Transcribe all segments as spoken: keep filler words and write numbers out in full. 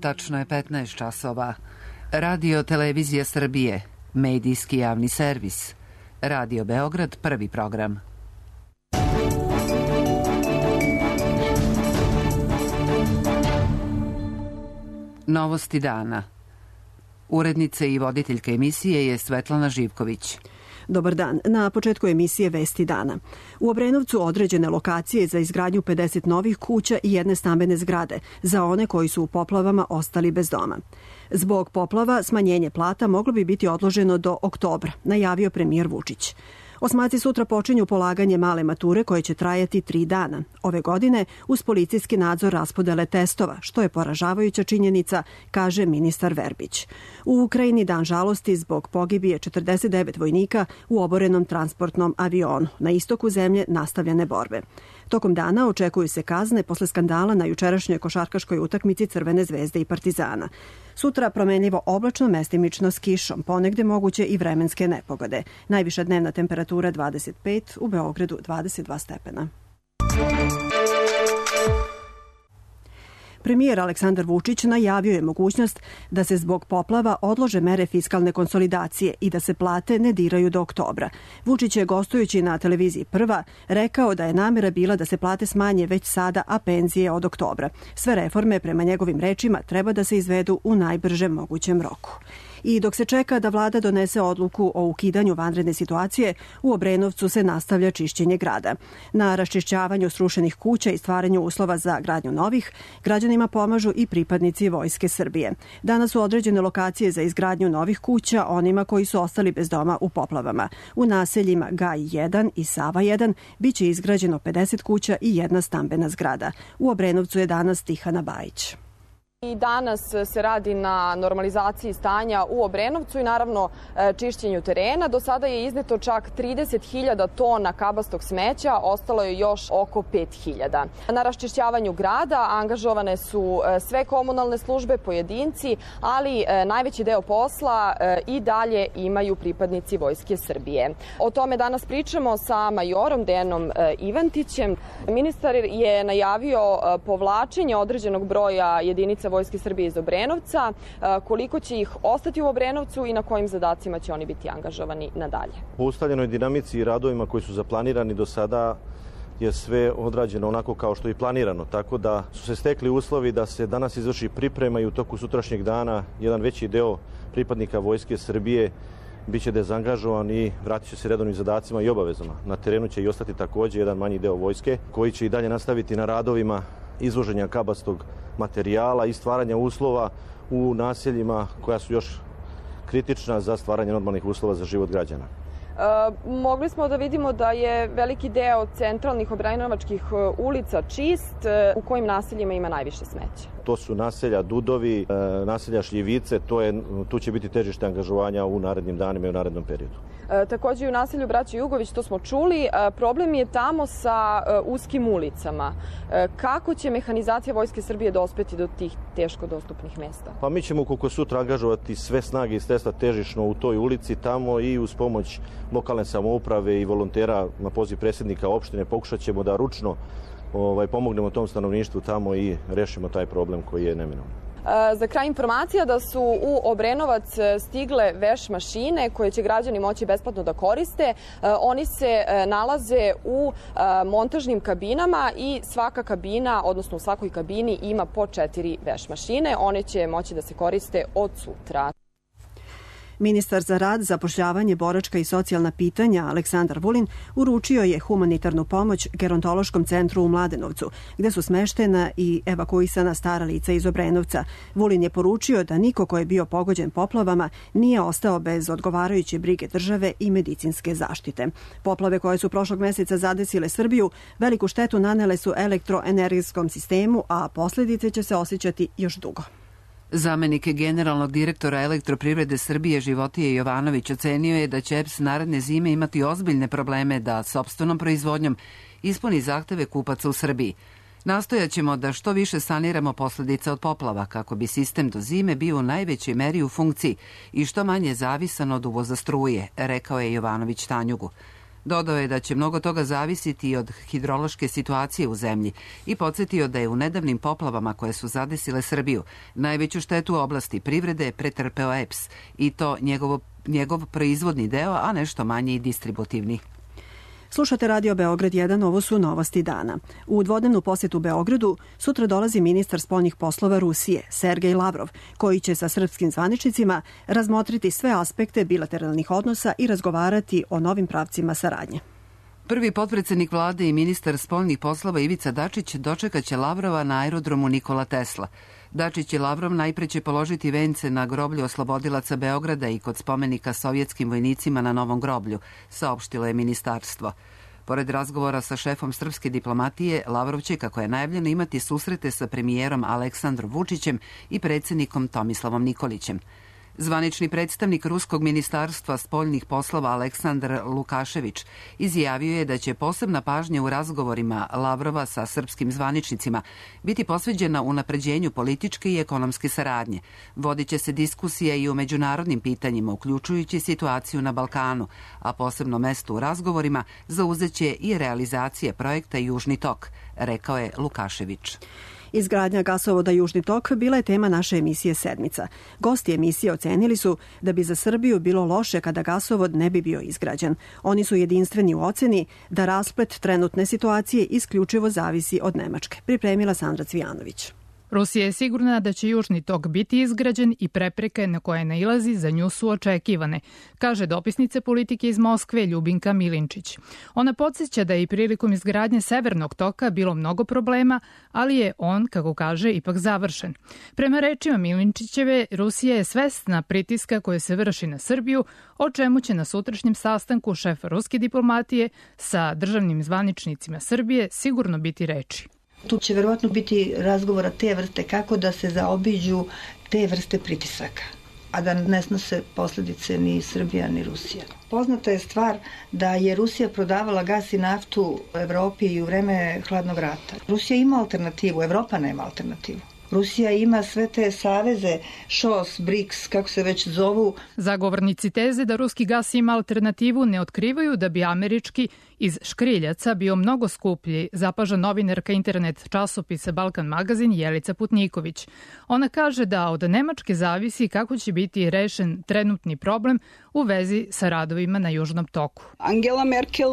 Tačno je petnaest časova. Radio Televizija Srbije, medijski javni servis. Radio Beograd, prvi program. Novosti dana. Urednica i voditeljka emisije je Svetlana Živković. Dobar dan. Na početku emisije Vesti dana. U Obrenovcu određene lokacije za izgradnju pedeset novih kuća i jedne stambene zgrade za one koji su u poplavama ostali bez doma. Zbog poplava smanjenje plata moglo bi biti odloženo do oktobra, najavio premijer Vučić. Osmaci sutra počinju polaganje male mature koje će trajati tri dana. Ove godine uz policijski nadzor raspodele testova, što je poražavajuća činjenica, kaže ministar Verbić. U Ukrajini dan žalosti zbog pogibije četrdeset devet vojnika u oborenom transportnom avionu. Na istoku zemlje nastavljene borbe. Tokom dana očekuju se kazne posle skandala na jučerašnjoj košarkaškoj utakmici Crvene zvezde i Partizana. Sutra promenljivo oblačno, mestimično s kišom, ponegde moguće i vremenske nepogode. Najviša dnevna temperatura dvadeset pet, u Beogradu dvadeset dva stepena. Premijer Aleksandar Vučić najavio je mogućnost da se zbog poplava odlože mere fiskalne konsolidacije i da se plate ne diraju do oktobra. Vučić je, gostujući na televiziji Prva, rekao da je namera bila da se plate smanje već sada, a penzije od oktobra. Sve reforme, prema njegovim rečima, treba da se izvedu u najbržem mogućem roku. I dok se čeka da vlada donese odluku o ukidanju vanredne situacije, u Obrenovcu se nastavlja čišćenje grada. Na raščišćavanju srušenih kuća i stvaranju uslova za gradnju novih, građanima pomažu i pripadnici Vojske Srbije. Danas su određene lokacije za izgradnju novih kuća onima koji su ostali bez doma u poplavama. U naseljima Gaj jedan i Sava jedan biće izgrađeno pedeset kuća i jedna stambena zgrada. U Obrenovcu je danas Tihana Bajić. I danas se radi na normalizaciji stanja u Obrenovcu i naravno čišćenju terena. Do sada je izneto čak trideset hiljada tona kabastog smeća, ostalo je još oko pet hiljada. Na raščišćavanju grada angažovane su sve komunalne službe, pojedinci, ali najveći deo posla i dalje imaju pripadnici Vojske Srbije. O tome danas pričamo sa majorom Dejanom Ivantićem. Ministar je najavio povlačenje određenog broja jedinica Vojske Srbije iz Obrenovca, koliko će ih ostati u Obrenovcu i na kojim zadacima će oni biti angažovani nadalje. Po ustaljenoj dinamici i radovima koji su zaplanirani do sada je sve odrađeno onako kao što je i planirano, tako da su se stekli uslovi da se danas izvrši priprema i u toku sutrašnjeg dana jedan veći deo pripadnika Vojske Srbije biće dezangažovan i vratit će se redovnim zadacima i obavezama. Na terenu će i ostati također jedan manji deo vojske koji će i dalje nastaviti na radovima izvoženja kabastog materijala i stvaranja uslova u naseljima koja su još kritična za stvaranje normalnih uslova za život građana. E, mogli smo da vidimo da je veliki deo centralnih obrenovačkih ulica čist. U kojim naseljima ima najviše smeća? To su naselja Dudovi, naselja Šljivice, to je, tu će biti težište angažovanja u narednim danima i u narednom periodu. E, također i u naselju Braće Jugović, to smo čuli, e, problem je tamo sa e, uskim ulicama. E, kako će mehanizacija Vojske Srbije dospeti do tih teško dostupnih mesta? Pa mi ćemo koliko sutra angažovati sve snage i sredstva težišno u toj ulici tamo i uz pomoć lokalne samouprave i volontera na poziv predsjednika opštine pokušat ćemo da ručno ovaj, pomognemo tom stanovništvu tamo i rešimo taj problem koji je neminovno. Za kraj informacija da su u Obrenovac stigle veš mašine koje će građani moći besplatno da koriste. Oni se nalaze u montažnim kabinama i svaka kabina, odnosno u svakoj kabini ima po četiri veš mašine. One će moći da se koriste od sutra. Ministar za rad, zapošljavanje, boračka i socijalna pitanja Aleksandar Vulin uručio je humanitarnu pomoć Gerontološkom centru u Mladenovcu, gde su smeštena i evakuisana stara lica iz Obrenovca. Vulin je poručio da niko ko je bio pogođen poplavama nije ostao bez odgovarajuće brige države i medicinske zaštite. Poplave koje su prošlog meseca zadesile Srbiju veliku štetu nanele su elektroenergetskom sistemu, a posljedice će se osjećati još dugo. Zamenik generalnog direktora Elektroprivrede Srbije Životije Jovanović ocenio je da će E P S naredne zime imati ozbiljne probleme da sopstvenom proizvodnjom ispuni zahteve kupaca u Srbiji. Nastojaćemo da što više saniramo posljedice od poplava kako bi sistem do zime bio u najvećoj meri u funkciji i što manje zavisan od uvoza struje, rekao je Jovanović Tanjugu. Dodao je da će mnogo toga zavisiti i od hidrološke situacije u zemlji i podsjetio da je u nedavnim poplavama koje su zadesile Srbiju najveću štetu u oblasti privrede pretrpeo E P S i to njegovo, njegov proizvodni deo, a nešto manje i distributivni. Slušate Radio Beograd jedan, ovo su novosti dana. U dvodnevnu posjetu Beogradu sutra dolazi ministar spoljnih poslova Rusije, Sergej Lavrov, koji će sa srpskim zvaničnicima razmotriti sve aspekte bilateralnih odnosa i razgovarati o novim pravcima saradnje. Prvi potpredsednik vlade i ministar spoljnih poslova Ivica Dačić dočekaće Lavrova na aerodromu Nikola Tesla. Dačić i Lavrov najpre će položiti vence na groblju oslobodilaca Beograda i kod spomenika sovjetskim vojnicima na Novom groblju, saopštilo je ministarstvo. Pored razgovora sa šefom srpske diplomatije, Lavrov će, kako je najavljeno, imati susrete sa premijerom Aleksandrom Vučićem i predsjednikom Tomislavom Nikolićem. Zvanični predstavnik Ruskog ministarstva spoljnih poslova Aleksandar Lukašević izjavio je da će posebna pažnja u razgovorima Lavrova sa srpskim zvaničnicima biti posveđena unapređenju političke i ekonomske saradnje. Vodit će se diskusija i o međunarodnim pitanjima, uključujući situaciju na Balkanu, a posebno mesto u razgovorima zauzeće i realizacije projekta Južni tok, rekao je Lukašević. Izgradnja gasovoda Južni tok bila je tema naše emisije Sedmica. Gosti emisije ocenili su da bi za Srbiju bilo loše kada gasovod ne bi bio izgrađen. Oni su jedinstveni u oceni da rasplet trenutne situacije isključivo zavisi od Nemačke. Pripremila Sandra Cvijanović. Rusija je sigurna da će Južni tok biti izgrađen i prepreke na koje nailazi za nju su očekivane, kaže dopisnica politike iz Moskve Ljubinka Milinčić. Ona podsjeća da je i prilikom izgradnje Severnog toka bilo mnogo problema, ali je on, kako kaže, ipak završen. Prema rečima Milinčićeve, Rusija je svesna pritiska koje se vrši na Srbiju, o čemu će na sutrašnjem sastanku šefa ruske diplomatije sa državnim zvaničnicima Srbije sigurno biti reči. Tu će verovatno biti razgovora te vrste kako da se zaobiđu te vrste pritisaka, a da ne snose posledice ni Srbija ni Rusija. Poznata je stvar da je Rusija prodavala gas i naftu u Evropi i u vreme hladnog rata. Rusija ima alternativu, Evropa nema alternativu. Rusija ima sve te saveze, š o s, briks, kako se već zovu. Zagovornici teze da ruski gas ima alternativu ne otkrivaju da bi američki iz škriljaca bio mnogo skuplji, zapaža novinarka internet časopisa Balkan magazin Jelica Putniković. Ona kaže da od Nemačke zavisi kako će biti rešen trenutni problem u vezi sa radovima na Južnom toku. Angela Merkel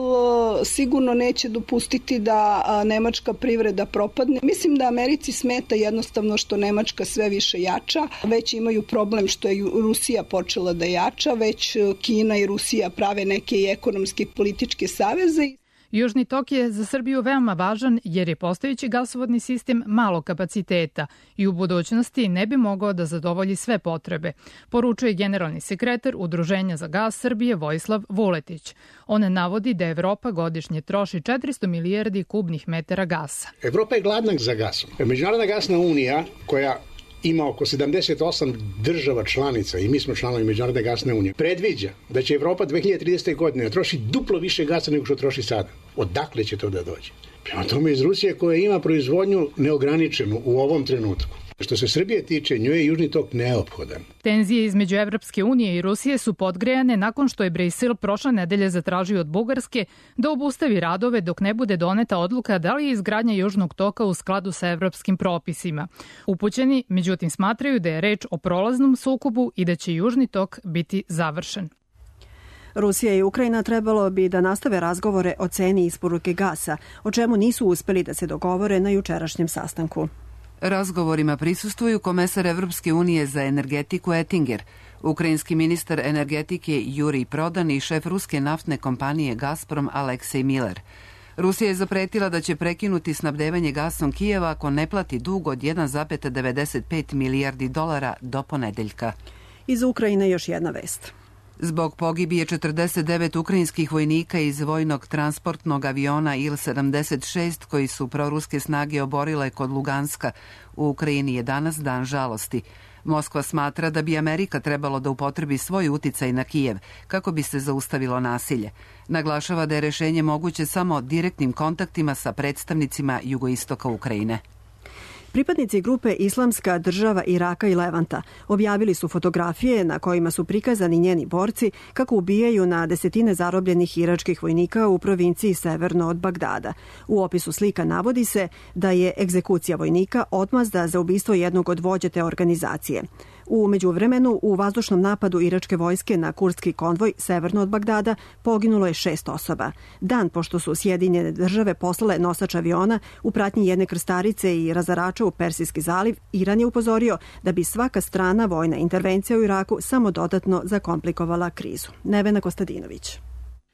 sigurno neće dopustiti da nemačka privreda propadne. Mislim da Americi smeta jednostavno što Nemačka sve više jača. Već imaju problem što je Rusija počela da jača, već Kina i Rusija prave neke i ekonomske i političke saveze. Južni tok je za Srbiju veoma važan jer je postojeći gasovodni sistem malo kapaciteta i u budućnosti ne bi mogao da zadovolji sve potrebe, poručuje generalni sekretar Udruženja za gas Srbije Vojislav Vuletić. On navodi da Evropa godišnje troši četiristo milijardi kubnih metara gasa. Evropa je gladna za gasom. Međunarodna gasna unija koja ima oko sedamdeset osam država članica i mi smo članovi Međunarodne gasne unije, predviđa da će Evropa dve hiljade tridesete. godine troši duplo više gasa nego što troši sada. Odakle će to da dođe? Prema tome iz Rusije koja ima proizvodnju neograničenu u ovom trenutku. Što se Srbije tiče, njoj je Južni tok neophodan. Tenzije između Evropske unije i Rusije su podgrejane nakon što je Brisel prošle nedelje zatražio od Bugarske da obustavi radove dok ne bude doneta odluka da li je izgradnja Južnog toka u skladu sa evropskim propisima. Upućeni, međutim, smatraju da je reč o prolaznom sukobu i da će Južni tok biti završen. Rusija i Ukrajina trebalo bi da nastave razgovore o ceni isporuke gasa, o čemu nisu uspeli da se dogovore na jučerašnjem sastanku. Razgovorima prisustvuju komesar Evropske unije za energetiku Ettinger, ukrajinski ministar energetike Jurij Prodan i šef ruske naftne kompanije Gazprom Aleksej Miller. Rusija je zapretila da će prekinuti snabdevanje gasom Kijeva ako ne plati dug od jedan zarez devedeset pet milijardi dolara do ponedeljka. Iz Ukrajine još jedna vest. Zbog pogibije četrdeset devet ukrajinskih vojnika iz vojnog transportnog aviona Il sedamdeset šest koji su proruske snage oborile kod Luganska, u Ukrajini je danas dan žalosti. Moskva smatra da bi Amerika trebalo da upotrebi svoj uticaj na Kijev kako bi se zaustavilo nasilje. Naglašava da je rešenje moguće samo direktnim kontaktima sa predstavnicima jugoistoka Ukrajine. Pripadnici grupe Islamska država Iraka i Levanta objavili su fotografije na kojima su prikazani njeni borci kako ubijaju na desetine zarobljenih iračkih vojnika u provinciji severno od Bagdada. U opisu slika navodi se da je egzekucija vojnika odmazda za ubistvo jednog od vođa te organizacije. U međuvremenu, u vazdušnom napadu iračke vojske na kurdski konvoj severno od Bagdada poginulo je šest osoba. Dan pošto su Sjedinjene države poslale nosač aviona u pratnji jedne krstarice i razarača u Persijski zaliv, Iran je upozorio da bi svaka strana vojna intervencija u Iraku samo dodatno zakomplikovala krizu. Nevena Kostadinović.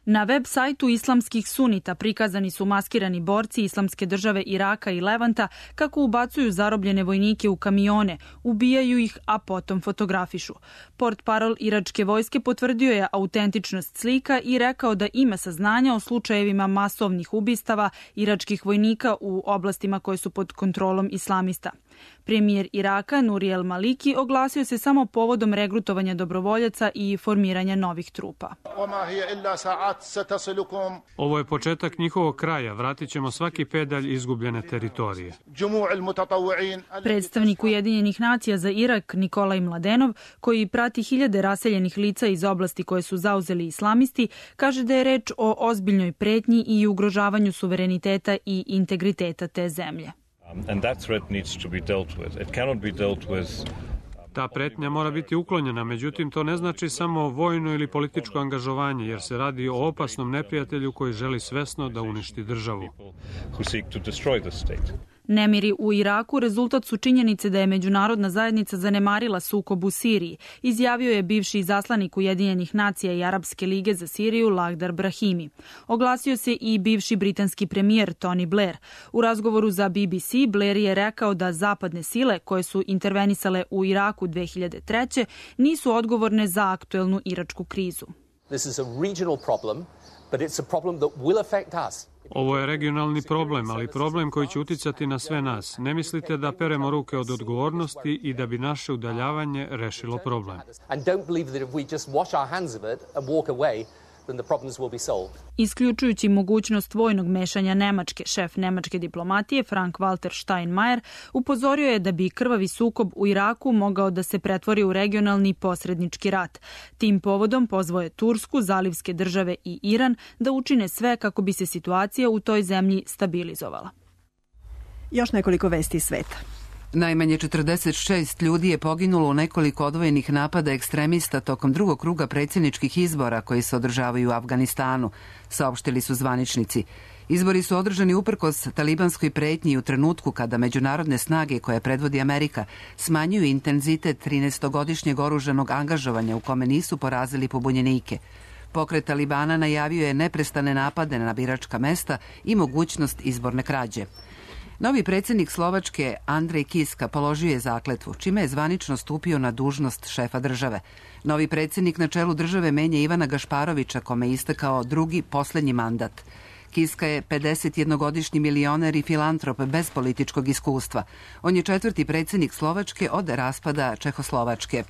Na web sajtu islamskih sunita prikazani su maskirani borci Islamske države Iraka i Levanta kako ubacuju zarobljene vojnike u kamione, ubijaju ih, a potom fotografišu. Portparol iračke vojske potvrdio je autentičnost slika i rekao da ima saznanja o slučajevima masovnih ubistava iračkih vojnika u oblastima koje su pod kontrolom islamista. Premijer Iraka Nuri El Maliki oglasio se samo povodom regrutovanja dobrovoljaca i formiranja novih trupa. Ovo je početak njihovog kraja. Vratit ćemo svaki pedalj izgubljene teritorije. Predstavnik Ujedinjenih nacija za Irak Nikolaj Mladenov, koji prati hiljade raseljenih lica iz oblasti koje su zauzeli islamisti, kaže da je reč o ozbiljnoj pretnji i ugrožavanju suvereniteta i integriteta te zemlje. Ta pretnja mora biti uklonjena, međutim to ne znači samo vojno ili političko angažovanje, jer se radi o opasnom neprijatelju koji želi svesno da uništi državu. Nemiri u Iraku rezultat su činjenice da je međunarodna zajednica zanemarila sukob u Siriji, izjavio je bivši izaslanik Ujedinjenih nacija i Arapske lige za Siriju Lakhdar Brahimi. Oglasio se i bivši britanski premijer Tony Blair. U razgovoru za B B C Blair je rekao da zapadne sile koje su intervenisale u Iraku dve hiljade treće nisu odgovorne za aktuelnu iračku krizu. This is a regional problem, but it's a problem that will affect us. Ovo je regionalni problem, ali problem koji će uticati na sve nas. Ne mislite da peremo ruke od odgovornosti i da bi naše udaljavanje rešilo problem. Isključujući mogućnost vojnog mešanja Nemačke, šef nemačke diplomatije Frank-Walter Steinmeier upozorio je da bi krvavi sukob u Iraku mogao da se pretvori u regionalni posrednički rat. Tim povodom pozvao je Tursku, zalivske države i Iran da učine sve kako bi se situacija u toj zemlji stabilizovala. Još nekoliko vesti iz sveta. Najmanje četrdeset šest ljudi je poginulo u nekoliko odvojenih napada ekstremista tokom drugog kruga predsjedničkih izbora koji se održavaju u Afganistanu, saopštili su zvaničnici. Izbori su održani uprkos talibanskoj pretnji u trenutku kada međunarodne snage koje predvodi Amerika smanjuju intenzitet trinaestogodišnjeg oružanog angažovanja u kome nisu porazili pobunjenike. Pokret Talibana najavio je neprestane napade na biračka mesta i mogućnost izborne krađe. Novi predsjednik Slovačke Andrej Kiska položio je zakletvu, čime je zvanično stupio na dužnost šefa države. Novi predsjednik na čelu države menja Ivana Gašparovića, kome je istekao drugi, posljednji mandat. Kiska je pedesetjednogodišnji milioner i filantrop bez političkog iskustva. On je četvrti predsjednik Slovačke od raspada Čehoslovačke.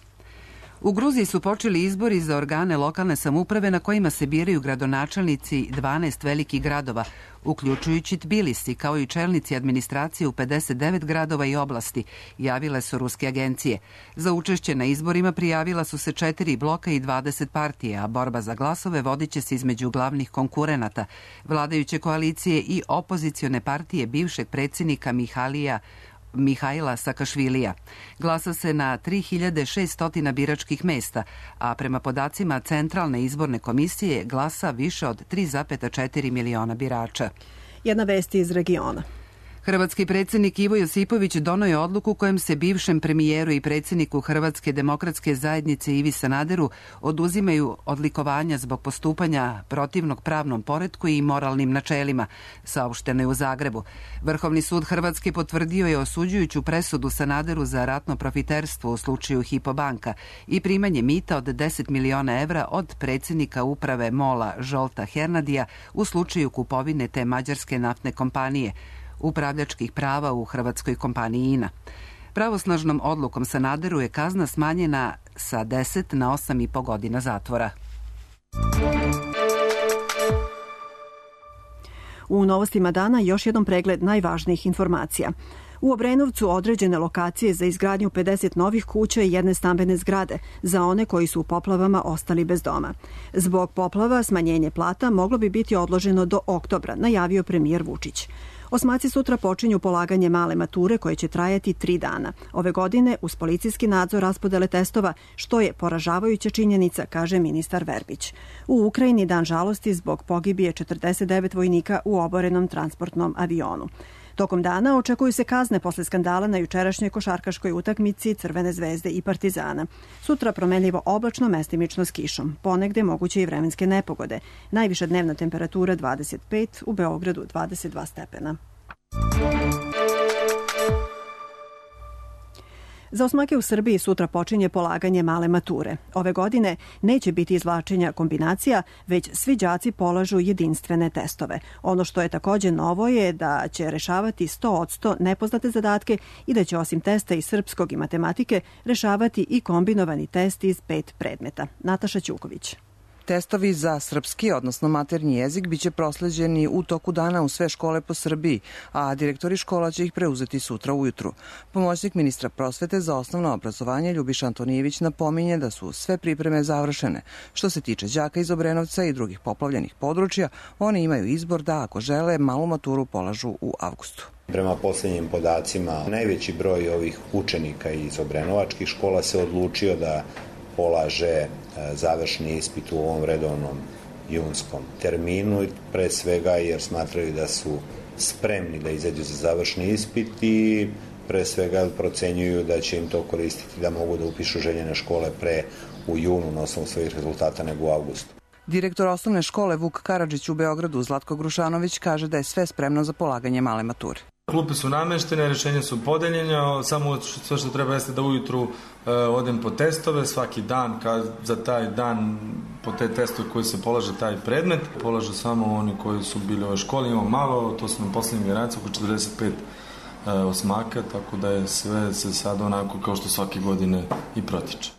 U Gruziji su počeli izbori za organe lokalne samouprave na kojima se biraju gradonačelnici dvanaest velikih gradova, uključujući Tbilisi, kao i čelnici administracije u pedeset devet gradova i oblasti, javile su ruske agencije. Za učešće na izborima prijavila su se četiri bloka i dvadeset partija, a borba za glasove vodit će se između glavnih konkurenata, vladajuće koalicije i opozicione partije bivšeg predsjednika Mihalija Mihajla Sakašvilija. Glasa se na tri hiljade šesto biračkih mesta, a prema podacima Centralne izborne komisije glasa više od tri zarez četiri miliona birača. Jedna vest iz regiona. Hrvatski predsjednik Ivo Josipović donio je odluku kojom se bivšem premijeru i predsjedniku Hrvatske demokratske zajednice Ivi Sanaderu oduzimaju odlikovanja zbog postupanja protivnog pravnom poretku i moralnim načelima, saopšteno je u Zagrebu. Vrhovni sud Hrvatske potvrdio je osuđujuću presudu Sanaderu za ratno profiterstvo u slučaju Hypo banka i primanje mita od deset miliona evra od predsjednika uprave MOL-a Žolta Hernadija u slučaju kupovine te mađarske naftne kompanije, upravljačkih prava u hrvatskoj kompaniji I N A. Pravosnažnom odlukom Sanaderu je kazna smanjena sa deset na osam i po godina zatvora. U novostima dana još jedan pregled najvažnijih informacija. U Obrenovcu određene lokacije za izgradnju pedeset novih kuća i jedne stambene zgrade za one koji su u poplavama ostali bez doma. Zbog poplava smanjenje plata moglo bi biti odloženo do oktobra, najavio premijer Vučić. Osmaci sutra počinju polaganje male mature koje će trajati tri dana. Ove godine uz policijski nadzor raspodele testova, što je poražavajuća činjenica, kaže ministar Verbić. U Ukrajini dan žalosti zbog pogibije četrdeset devet vojnika u oborenom transportnom avionu. Tokom dana očekuju se kazne posle skandala na jučerašnjoj košarkaškoj utakmici Crvene zvezde i Partizana. Sutra promenljivo oblačno, mestimično s kišom. Ponegde moguće i vremenske nepogode. Najviša dnevna temperatura dvadeset pet, u Beogradu dvadeset dva stepena. Za osmake u Srbiji sutra počinje polaganje male mature. Ove godine neće biti izvlačenja kombinacija, već svi đaci polažu jedinstvene testove. Ono što je takođe novo je da će rešavati sto posto nepoznate zadatke i da će osim testa iz srpskog i matematike rešavati i kombinovani test iz pet predmeta. Nataša Ćuković. Testovi za srpski, odnosno maternji jezik, biće prosleđeni u toku dana u sve škole po Srbiji, a direktori škola će ih preuzeti sutra ujutru. Pomoćnik ministra prosvete za osnovno obrazovanje Ljubiša Antonijević napominje da su sve pripreme završene. Što se tiče đaka iz Obrenovca i drugih poplavljenih područja, oni imaju izbor da, ako žele, malu maturu polažu u avgustu. Prema poslednjim podacima, najveći broj ovih učenika iz obrenovačkih škola se odlučio da polaže završni ispit u ovom redovnom junskom terminu, pre svega jer smatraju da su spremni da izađu za završni ispit i pre svega procenjuju da će im to koristiti da mogu da upišu željene škole pre u junu na osnovu svojih rezultata nego u avgustu. Direktor osnovne škole Vuk Karadžić u Beogradu Zlatko Grušanović kaže da je sve spremno za polaganje male mature. Klupe su nameštene, rešenja su podeljene, samo sve što treba jeste da ujutru e, odem po testove, svaki dan, kad za taj dan po te testove koji se polaže taj predmet, polažu samo oni koji su bili u ovoj školi, imamo malo, to su na poslednjim generacijama, oko četrdeset pet e, osmaka, tako da je sve se sad onako kao što svake godine i protiče.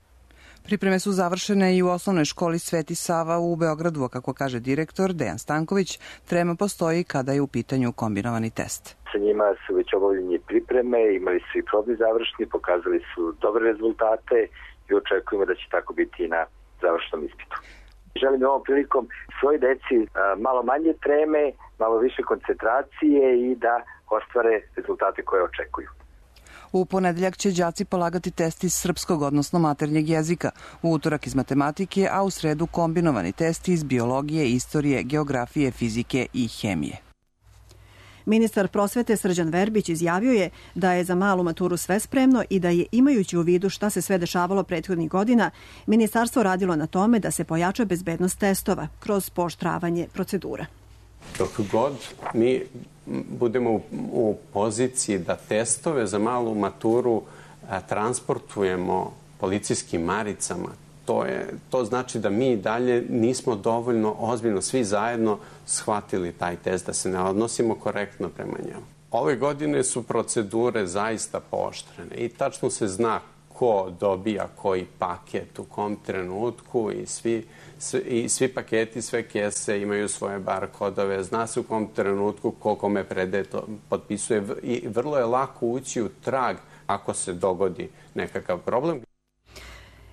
Pripreme su završene i u osnovnoj školi Sveti Sava u Beogradu, a kako kaže direktor Dejan Stanković, trema postoji kada je u pitanju kombinovani test. Sa njima su već obavljeni pripreme, imali su i probni završni, pokazali su dobre rezultate i očekujemo da će tako biti i na završnom ispitu. Želim ovom prilikom svoj deci malo manje treme, malo više koncentracije i da ostvare rezultate koje očekuju. U ponedeljak će đaci polagati test iz srpskog, odnosno maternjeg jezika, u utorak iz matematike, a u sredu kombinovani test iz biologije, istorije, geografije, fizike i hemije. Ministar prosvete Srđan Verbić izjavio je da je za malu maturu sve spremno i da je, imajući u vidu šta se sve dešavalo prethodnih godina, ministarstvo radilo na tome da se pojača bezbednost testova kroz pooštravanje procedura. Dok god mi budemo u, u poziciji da testove za malu maturu a, transportujemo policijskim maricama, to, je, to znači da mi dalje nismo dovoljno ozbiljno svi zajedno shvatili taj test, da se ne odnosimo korektno prema njemu. Ove godine su procedure zaista pooštrene i tačno se zna ko dobija koji paket u kom trenutku i svi, i svi paketi, sve kese imaju svoje bar kodove, zna se u kom trenutku ko kome predaje to potpisuje i vrlo je lako ući u trag ako se dogodi nekakav problem.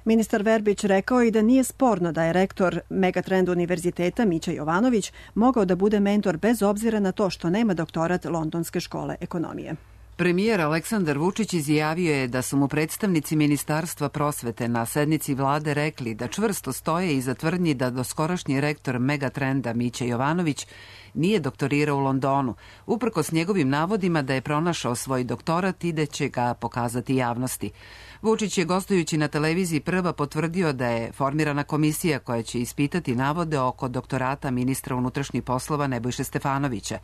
Ministar Verbić rekao i da nije sporno da je rektor Megatrend univerziteta Mića Jovanović mogao da bude mentor bez obzira na to što nema doktorat Londonske škole ekonomije. Premijer Aleksandar Vučić izjavio je da su mu predstavnici Ministarstva prosvete na sednici vlade rekli da čvrsto stoje iza tvrdnji da doskorašnji rektor Megatrenda Mića Jovanović nije doktorirao u Londonu, uprkos njegovim navodima da je pronašao svoj doktorat i da će ga pokazati javnosti. Vučić je gostujući na televiziji Prva potvrdio da je formirana komisija koja će ispitati navode oko doktorata ministra unutrašnjih poslova Nebojše Stefanovića.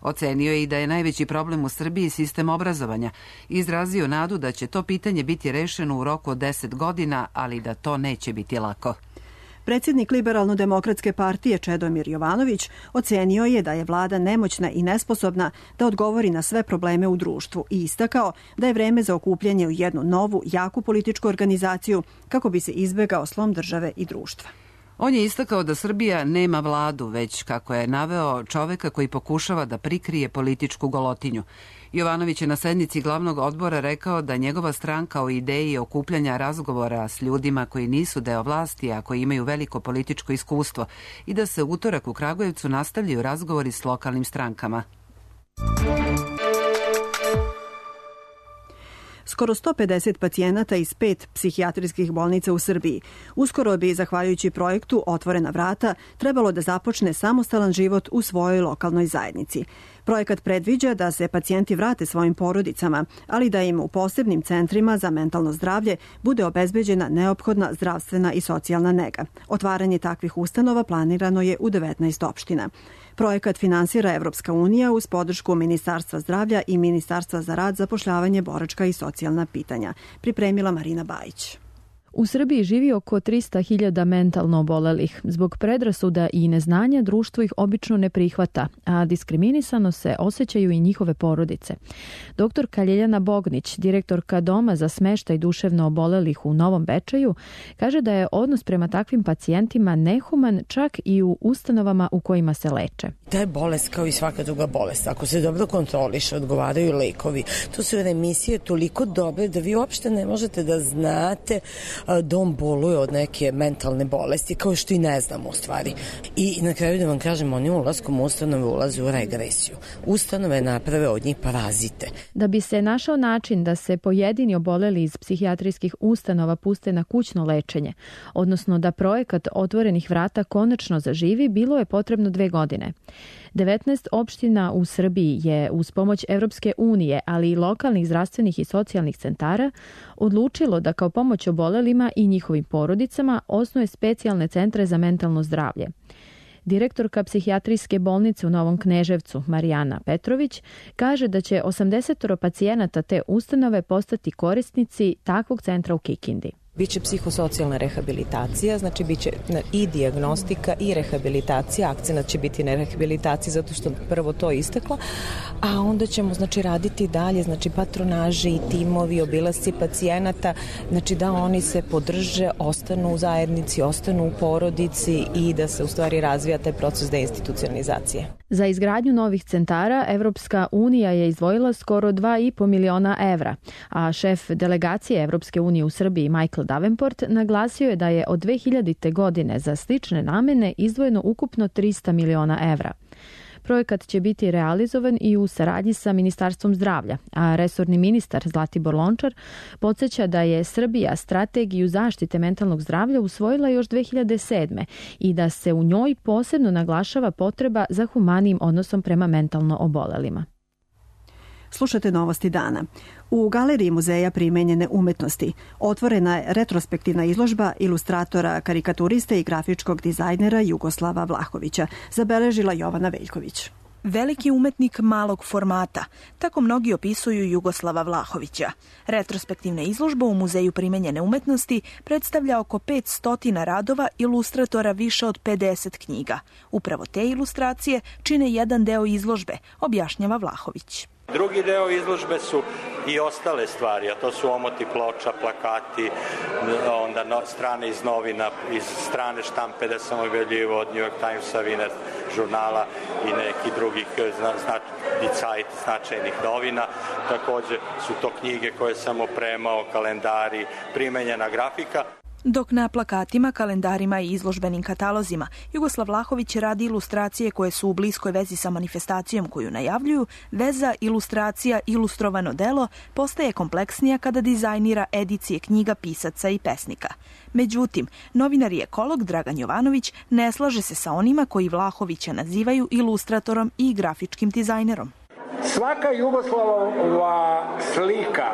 Ocenio je i da je najveći problem u Srbiji sistem obrazovanja i izrazio nadu da će to pitanje biti rešeno u roku od deset godina, ali da to neće biti lako. Predsjednik Liberalno-demokratske partije Čedomir Jovanović ocenio je da je vlada nemoćna i nesposobna da odgovori na sve probleme u društvu i istakao da je vreme za okupljanje u jednu novu, jaku političku organizaciju kako bi se izbegao slom države i društva. On je istakao da Srbija nema vladu, već, kako je naveo, čoveka koji pokušava da prikrije političku golotinju. Jovanović je na sednici glavnog odbora rekao da njegova stranka o ideji okupljanja razgovora s ljudima koji nisu deo vlasti, a koji imaju veliko političko iskustvo, i da se utorak u Kragujevcu nastavljaju razgovori s lokalnim strankama. Skoro sto pedeset pacijenata iz pet psihijatrijskih bolnica u Srbiji uskoro bi, zahvaljujući projektu Otvorena vrata, trebalo da započne samostalan život u svojoj lokalnoj zajednici. Projekat predviđa da se pacijenti vrate svojim porodicama, ali da im u posebnim centrima za mentalno zdravlje bude obezbeđena neophodna zdravstvena i socijalna nega. Otvaranje takvih ustanova planirano je u devetnaest opština. Projekat finansira Evropska unija uz podršku Ministarstva zdravlja i Ministarstva za rad, zapošljavanje, boračka i socijalna pitanja. Pripremila Marina Bajić. U Srbiji živi oko trista hiljada mentalno obolelih. Zbog predrasuda i neznanja društvo ih obično ne prihvata, a diskriminisano se osjećaju i njihove porodice. Doktorka Ljeljana Bognić, direktorka Doma za smeštaj duševno obolelih u Novom Bečeju, kaže da je odnos prema takvim pacijentima nehuman čak i u ustanovama u kojima se leče. Ta je bolest kao i svaka druga bolest. Ako se dobro kontroliše, odgovaraju lekovi. To su remisije toliko dobre da vi uopšte ne možete da znate da on boluje od neke mentalne bolesti, kao što i ne znamo u stvari. I na kraju da vam kažem, oni ulaskom u ustanove ulaze u regresiju. Ustanove naprave od njih parazite. Da bi se našao način da se pojedini oboleli iz psihijatrijskih ustanova puste na kućno lečenje, odnosno da projekat Otvorenih vrata konačno zaživi, bilo je potrebno dve godine. devetnaest opština u Srbiji je uz pomoć Evropske unije, ali i lokalnih zdravstvenih i socijalnih centara, odlučilo da kao pomoć obolelima i njihovim porodicama osnuje specijalne centre za mentalno zdravlje. Direktorka psihijatrijske bolnice u Novom Kneževcu, Marijana Petrović, kaže da će osamdeset pacijenata te ustanove postati korisnici takvog centra u Kikindi. Biće psihosocijalna rehabilitacija, znači biće i dijagnostika i rehabilitacija. Akcenat će biti na rehabilitaciji zato što prvo to isteklo, a onda ćemo znači raditi dalje, znači patronaži i timovi, obilasci pacijenata, znači da oni se podrže, ostanu u zajednici, ostanu u porodici i da se u stvari razvija taj proces deinstitucionalizacije. Za izgradnju novih centara Evropska unija je izdvojila skoro dva i po miliona evra, a šef delegacije Evropske unije u Srbiji Michael Davenport naglasio je da je od dve hiljadite. godine za slične namene izdvojeno ukupno trista miliona evra. Projekat će biti realizovan i u saradnji sa Ministarstvom zdravlja, a resorni ministar Zlatibor Lončar podsjeća da je Srbija strategiju zaštite mentalnog zdravlja usvojila još dve hiljade sedme. i da se u njoj posebno naglašava potreba za humanijim odnosom prema mentalno obolelima. Slušate Novosti dana. U Galeriji muzeja primenjene umetnosti otvorena je retrospektivna izložba ilustratora, karikaturiste i grafičkog dizajnera Jugoslava Vlahovića, zabeležila Jovana Veljković. Veliki umetnik malog formata, tako mnogi opisuju Jugoslava Vlahovića. Retrospektivna izložba u Muzeju primenjene umetnosti predstavlja oko petsto radova ilustratora više od pedeset knjiga. Upravo te ilustracije čine jedan deo izložbe, objašnjava Vlahović. Drugi deo izložbe su i ostale stvari, a to su omoti ploča, plakati, onda strane iz novina, iz strane štampe da sam objavljivo od New York Timesa, Wiener žurnala i nekih drugih zna, dicajt, značajnih novina. Takođe su to knjige koje sam opremao, kalendari, primenjena grafika. Dok na plakatima, kalendarima i izložbenim katalozima Jugoslav Vlahović radi ilustracije koje su u bliskoj vezi sa manifestacijom koju najavljuju, veza, ilustracija, ilustrovano delo postaje kompleksnija kada dizajnira edicije knjiga pisaca i pesnika. Međutim, novinar i ekolog Dragan Jovanović ne slaže se sa onima koji Vlahovića nazivaju ilustratorom i grafičkim dizajnerom. Svaka Jugoslavova slika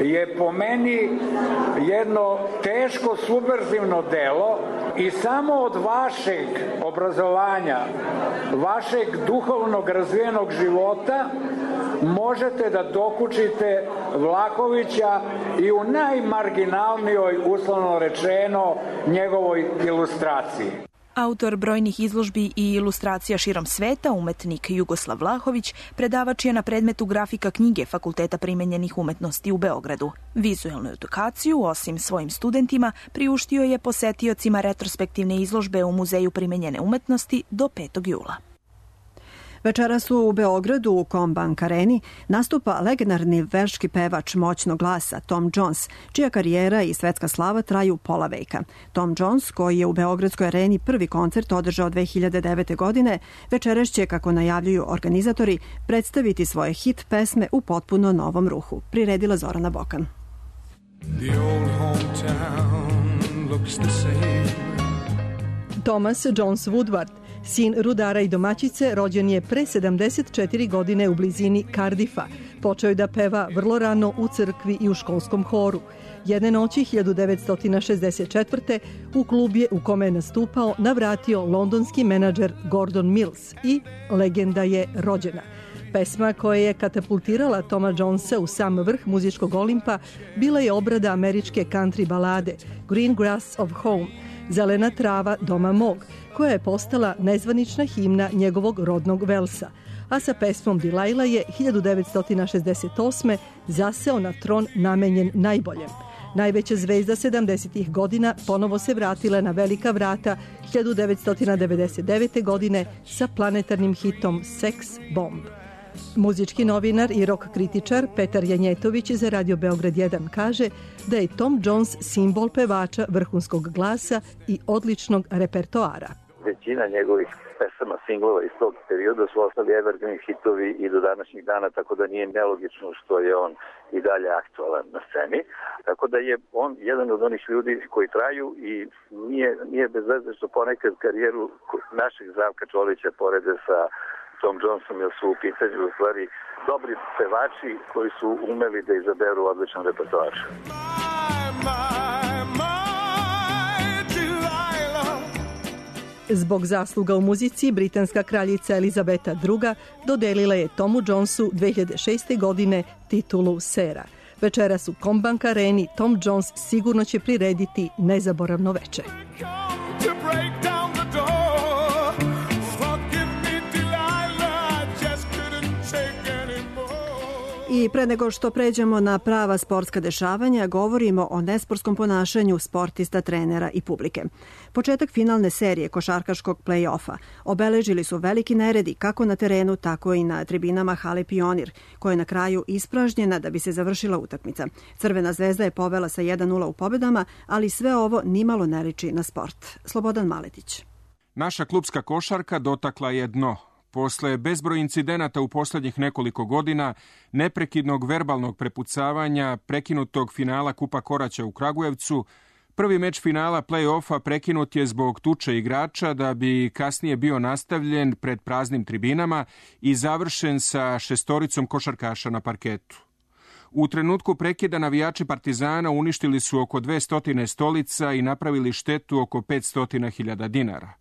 je po meni jedno teško subverzivno delo i samo od vašeg obrazovanja, vašeg duhovnog razvijenog života možete da dokučite Vlahovića i u najmarginalnijoj, uslovno rečeno, njegovoj ilustraciji. Autor brojnih izložbi i ilustracija širom sveta, umetnik Jugoslav Vlahović, predavač je na predmetu grafika knjige Fakulteta primenjenih umetnosti u Beogradu. Vizuelnu edukaciju, osim svojim studentima, priuštio je posetiocima retrospektivne izložbe u Muzeju primenjene umetnosti do petog jula. Večeras u Beogradu u Combank Areni nastupa legendarni velški pevač moćnog glasa Tom Jones, čija karijera i svetska slava traju pola veka. Tom Jones, koji je u Beogradskoj areni prvi koncert održao dve hiljade devete. godine, večeras će, kako najavljuju organizatori, predstaviti svoje hit pesme u potpuno novom ruhu. Priredila Zorana Bokan. Thomas Jones Woodward, sin rudara i domaćice, rođen je pre sedamdeset četiri godine u blizini Cardiffa. Počeo je da peva vrlo rano u crkvi i u školskom horu. Jedne noći hiljadu devetsto šezdeset četvrte. u klub je u kome je nastupao navratio londonski menadžer Gordon Mills i legenda je rođena. Pesma koja je katapultirala Toma Jonesa u sam vrh muzičkog Olimpa bila je obrada američke country balade Green Grass of Home, zelena trava doma mog, koja je postala nezvanična himna njegovog rodnog Velsa, a sa pesmom Delilah je hiljadu devetsto šezdeset osme. zaseo na tron namenjen najboljem. Najveća zvezda sedamdesetih godina ponovo se vratila na velika vrata hiljadu devetsto devedeset devete. godine sa planetarnim hitom Sex Bomb. Muzički novinar i rock kritičar Petar Janjetović za Radio Beograd jedan kaže da je Tom Jones simbol pevača vrhunskog glasa i odličnog repertoara. Većina njegovih pesama, singlova iz tog perioda su ostali evergreen hitovi i do današnjih dana, tako da nije nelogično što je on i dalje aktualan na sceni. Tako da je on jedan od onih ljudi koji traju i nije, nije bez veze što ponekad karijeru našeg Zdravka Čolića porede sa Tom Jonesom, jer su u pitanju u stvari dobri pevači koji su umeli da izaberu odličan repertoar. Zbog zasluga u muzici, britanska kraljica Elizabeta druga. dodelila je Tomu Jonesu dve hiljade šeste. godine titulu sera. Večeras u Combank Areni Tom Jones sigurno će prirediti nezaboravno veče. I pre nego što pređemo na prava sportska dešavanja, govorimo o nesportskom ponašanju sportista, trenera i publike. Početak finalne serije košarkaškog play-offa obeležili su veliki neredi kako na terenu, tako i na tribinama hale Pionir, koja je na kraju ispražnjena da bi se završila utakmica. Crvena zvezda je povela sa jedan nula u pobedama, ali sve ovo nimalo ne liči na sport. Slobodan Maletić. Naša klubska košarka dotakla je dno. Posle bezbroj incidenata u poslednjih nekoliko godina, neprekidnog verbalnog prepucavanja, prekinutog finala Kupa Koraća u Kragujevcu, prvi meč finala play-offa prekinut je zbog tuče igrača da bi kasnije bio nastavljen pred praznim tribinama i završen sa šestoricom košarkaša na parketu. U trenutku prekida navijači Partizana uništili su oko dvesta stolica i napravili štetu oko petsto hiljada dinara.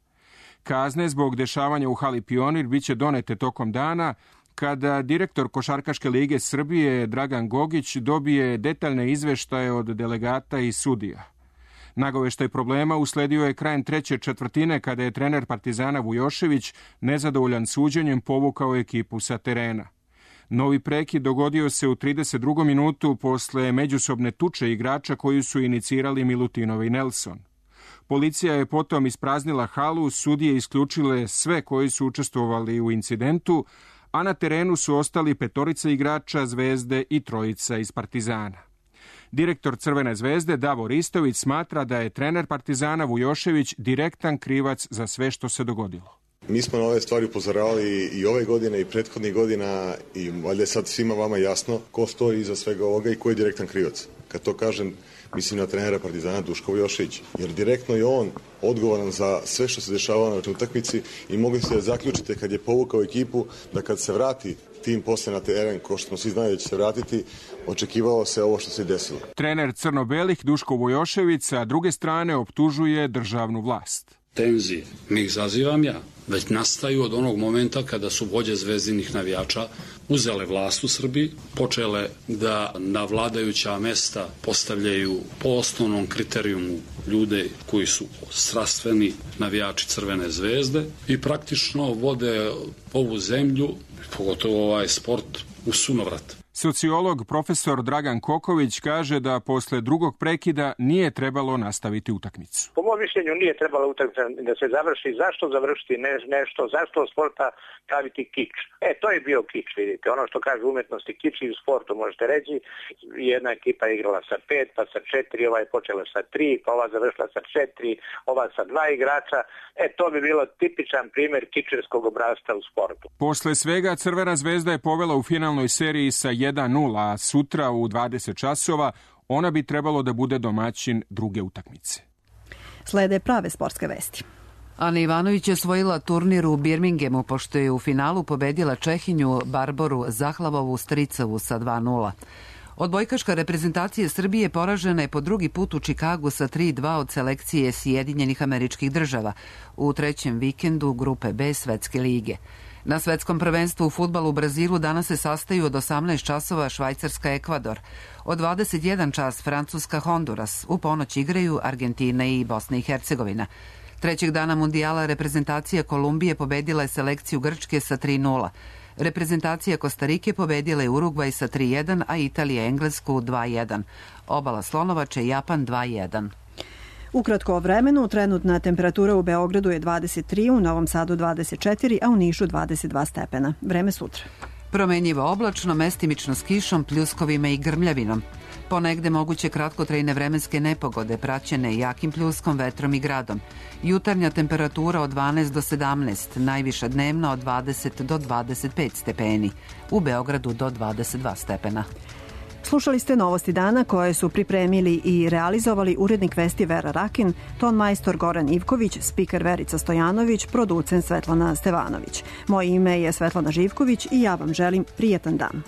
Kazne zbog dešavanja u hali Pionir biće donete tokom dana, kada direktor Košarkaške lige Srbije Dragan Gogić dobije detaljne izveštaje od delegata i sudija. Nagoveštaj problema usledio je krajem treće četvrtine kada je trener Partizana Vujošević nezadovoljan suđenjem povukao ekipu sa terena. Novi prekid dogodio se u trideset drugom minutu posle međusobne tuče igrača koju su inicirali Milutinov i Nelson. Policija je potom ispraznila halu, sudije isključile sve koji su učestvovali u incidentu, a na terenu su ostali petorica igrača Zvezde i trojica iz Partizana. Direktor Crvene zvezde Davor Istović smatra da je trener Partizana Vujošević direktan krivac za sve što se dogodilo. Mi smo na ove stvari upozoravali i ove godine i prethodnih godina i valjda je sad svima vama jasno ko stoji iza svega ovoga i ko je direktan krivac. Kad to kažem, mislim na trenera Partizana Duška Vujoševića, jer direktno je on odgovoran za sve što se dešavalo na utakmici i mogli ste zaključiti kad je povukao ekipu da kad se vrati tim posle na teren, ko što smo svi znali da će se vratiti, očekivalo se ovo što se desilo. Trener crno-belih Duško Vujošević sa druge strane optužuje državnu vlast. Tenzije ne izazivam ja, već nastaju od onog momenta kada su vođe zvezdinih navijača uzele vlast u Srbiji, počele da na vladajuća mesta postavljaju po osnovnom kriterijumu ljude koji su strastveni navijači Crvene zvezde i praktično vode ovu zemlju, pogotovo ovaj sport, u sunovrat. Sociolog profesor Dragan Koković kaže da posle drugog prekida nije trebalo nastaviti utakmicu. Po mom mišljenju nije trebalo utakmica da se završi. Zašto završiti ne, nešto? Zašto od sporta praviti kič? E, to je bio kič, vidite. Ono što kaže umetnosti kič i u sportu možete reći. Jedna ekipa je igrala sa pet, pa sa četiri, ova je počela sa tri, pa ova završila sa četiri, ova sa dva igrača. E, to bi bilo tipičan primjer kičerskog obrasca u sportu. Posle svega Crvena zvezda je povela u finalnoj seriji sa jedan nula, a sutra u dvadeset časova ona bi trebalo da bude domaćin druge utakmice. Slede prave sportske vesti. Ana Ivanović je osvojila turnir u Birminghamu pošto je u finalu pobedila Čehinju Barboru Zahlavovu Stricovu sa dva nula. Odbojkaška reprezentacija Srbije poražena je po drugi put u Čikagu sa tri dva od selekcije Sjedinjenih Američkih Država u trećem vikendu grupe B Svetske lige. Na svetskom prvenstvu u fudbalu u Brazilu danas se sastaju od osamnaest časova Švajcarska Ekvador, od dvadeset jedan čas Francuska Honduras, u ponoć igraju Argentina i Bosna i Hercegovina. Trećeg dana mundijala reprezentacija Kolumbije pobedila je selekciju Grčke sa tri nula. Reprezentacija Kostarike pobedila je Urugvaj sa tri jedan, a Italija Englesku dva jedan. Obala Slonovače Japan dva jedan. Ukratko o vremenu, trenutna temperatura u Beogradu je dvadeset tri, u Novom Sadu dvadeset četiri, a u Nišu dvadeset dva stepena. Vreme sutra. Promenjivo oblačno, mestimično s kišom, pljuskovima i grmljavinom. Ponegde moguće kratkotrajne vremenske nepogode, praćene jakim pljuskom, vetrom i gradom. Jutarnja temperatura od dvanaest do sedamnaest, najviša dnevna od dvadeset do dvadeset pet stepeni. U Beogradu do dvadeset dva stepena. Slušali ste Novosti dana koje su pripremili i realizovali urednik Vesti Vera Rakin, ton majstor Goran Ivković, spiker Verica Stojanović, producent Svetlana Stevanović. Moje ime je Svetlana Živković i ja vam želim prijetan dan.